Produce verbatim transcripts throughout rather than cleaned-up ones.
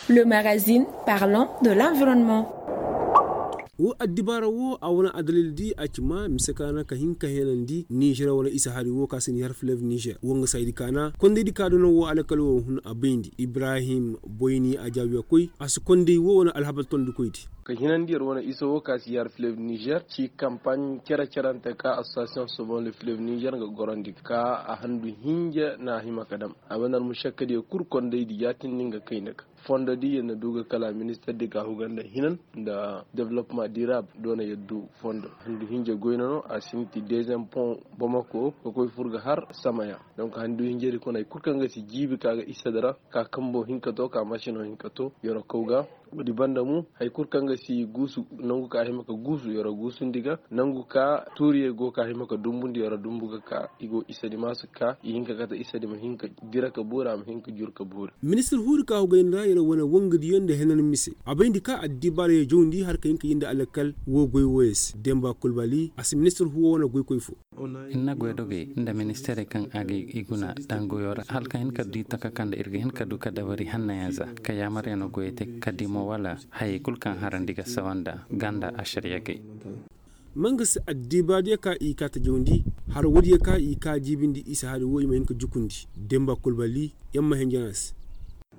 Le magazine parlant de l'environnement. Wo addibaara wo a wane adalil di a ci ma mise ka na ka hin ka henandi nizer wane isa hari wo ka si ni har filev nizer wo nga saydi ka na konday di ka dono wo alakal wo hun a bayndi ibrahim boyni a jaawiya koy a si konday wo wane alhabar tondi koy di. Ka hinandi yer wane isa wo ka si har filev nizer ci kampaaɲ cere-cerante ka association sobon le filev nizer nga gorandi ka a handu hinja na hima ka dam a banar mušakka di ya kul konday di yaatindi nga kayna ka fondo di yer na du ga kala minister di ka huga nda hinan nda development dirab do na yer du fondo handu hinja goyna no a sinti deuxième pont bomako ka koy fur ga har samaya. Donc handu hinja di kuna kul kaŋ ga si jiibi ka ga isa dara ka kambo hinka to ka masino hinka to yer kau ga. Wodi banda mu hari kul kaŋ ga si guusu nangu ka hima ka guusu yoro guusundi ga nangu ka tuuriye go ka hima ka dumbundi yoro dumbu ga ka i go isa di ma si ka i hin ka kate isa di ma hin ka dira ka boori a ma hin ka jur ka boori. Ministir huuri ka hugayni ra yara wane wangadiyo nda henan mise a bayndi ka addibaara ye jawndi har ka hin ka yindi alakal wo goy woyo se demba kulbali a si ministir huwo wane goykoy fo. Ir na goydogey nda ministeerey kaŋ a ga i guna daŋ goyo ra hala ka hin ka du i taka kaŋ nda ir ga hin ka du ka dabari hannayaŋ za ka yaamaryaŋo goyey te ka di mo wala hayey kul kaŋ harandi ga sawa nda ganda ašariyagey. Ma nga se addibaadiyo ka i kaa ta jawndi har woodiyo ka i kaa jiibindi isa hari wo i ma hin ka jukundi demba kulbali yamma henjana se.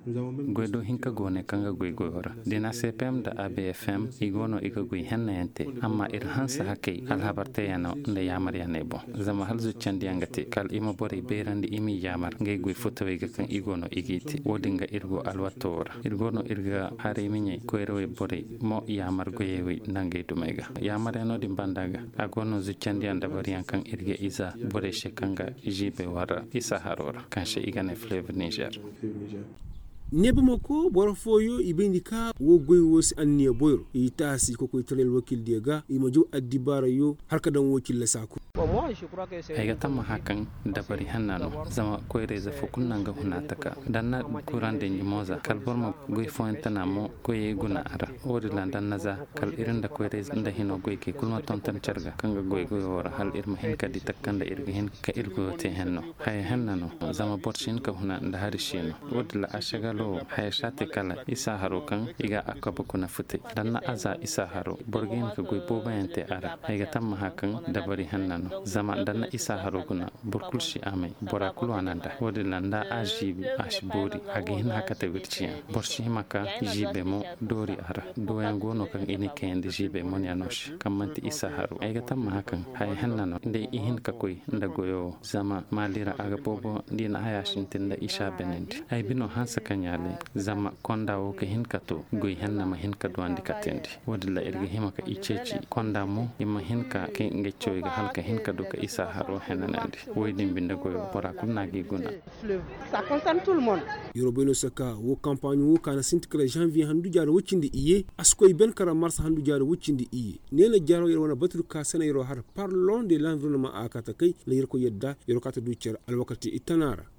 Goy do hinka go ne kaŋ ga goy goyo ra dina cpm nda abfm i go no i ga goy hennayaŋ te amma ir hanse hakey alhabar teyaŋo nda yaamaryaŋey boŋ. Zama hala zuccandiyaŋ ga te kala i ma borey beerandi i m'i yaamar ngey goy futawey ga kaŋ i go no i g'i te wo-din ga ir go alwatto wo ra ir go no ir ga haray miɲey koyrawey borey mo yaamar goyey wey nda ngey dumey ga. Yaamaryaŋo din banda ga a go no zuccandiyaŋ dabariyaŋ kaŋ ir ga iza borey se kaŋ ga ziibey war ra isa haro ra kaŋ se i ga ne fleuve nizer. Ne bamako boro fooyo i bayndi ka wo goy wo si anniya boyro i taasi kokoytaray alwakiildiyo ga i ma jaw addibaarayo har ka daŋ wo cilla saaku. Ay ga tammaha kaŋ dabari hanna no zama koyrayze fo kulu naŋ ga huna taka da na kuraŋ danji mo za kala boro ma goy fooyaŋ tana mo koyey guna a ra. Wo-din ra da na za kala ir nda koyray nda hino goykey kulu ma tonton care ga kaŋ ga goy goyo wo ra hala ir ma hin ka di taka kaŋ nda ir ga hin ka ir goyo te henno. Haya henna no zama boro si hin ka huna nda hari si no. Wo-din ra ašagalo wo haya si a te kala isa haro kaŋ i ga a kabe kuna futay da na a za isa haro boro ga hin ka goy booboyaŋ te a ra. Ay ga tammaha kaŋ dabari henna no zama da na isa haro guna boro kulu si amay bora kulu a naŋ da wo-din ra nda a ziibi a si boori a ga hin hakate wirciyaŋ. Boro si hima ka ziibe mo doori a ra doyaŋ go no kaŋ i na kayandi ziibe monyaŋo se kaŋ manti isa haro ay ga tammaha kaŋ haya henna no nda i hin ka koy nda goyo wo zama maali ra a ga boobo nda i na haya sintin nda i si a benandi ay bino hanse ka ɲaale. Zama konda wo ka hin ka to goy henna ma hin ka duwandi katandi. Wo-din ra ir ga hima ka i ceeci konda mo i ma hin ka kay ngey cawey ga hala ka hin ka du ka isa haro henanandi. Woy din binde goyo bora kulu no a g'i guna. Yorobayno saka wo kampaaɲo wo ka na sinti kala zanviye handu jaari woy cindi iyye a si koy ben kala mars handu jaari woy cindi iyye. Neena jaaro yer wane batur ka sena yeroo har parlon de lanvironoma a kaata kay nda yerkoy yadda yeroo kaata du cere alwakati itana ra.